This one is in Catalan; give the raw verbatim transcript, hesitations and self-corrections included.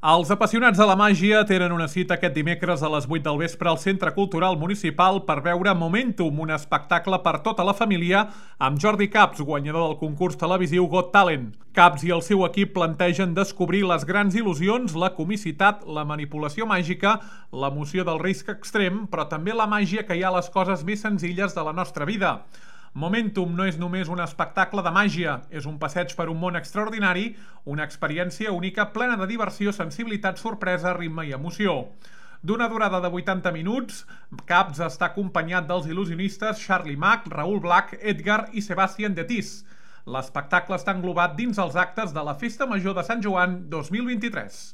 Els apassionats de la màgia tenen una cita aquest dimecres a les vuit del vespre al Centre Cultural Municipal per veure Momentum, un espectacle per tota la família, amb Jordi Capps, guanyador del concurs televisiu Got Talent. Capps i el seu equip plantegen descobrir les grans il·lusions, la comicitat, la manipulació màgica, l'emoció del risc extrem, però també la màgia que hi ha a les coses més senzilles de la nostra vida. Momentum no és només un espectacle de màgia, és un passeig per un món extraordinari, una experiència única plena de diversió, sensibilitat, sorpresa, ritme i emoció. D'una durada de vuitanta minuts, Capps està acompanyat dels il·lusionistes Charlie Mack, Raúl Black, Edgar i Sebastián de Tis. L'espectacle està englobat dins els actes de la Festa Major de Sant Joan dos mil vint-i-tres.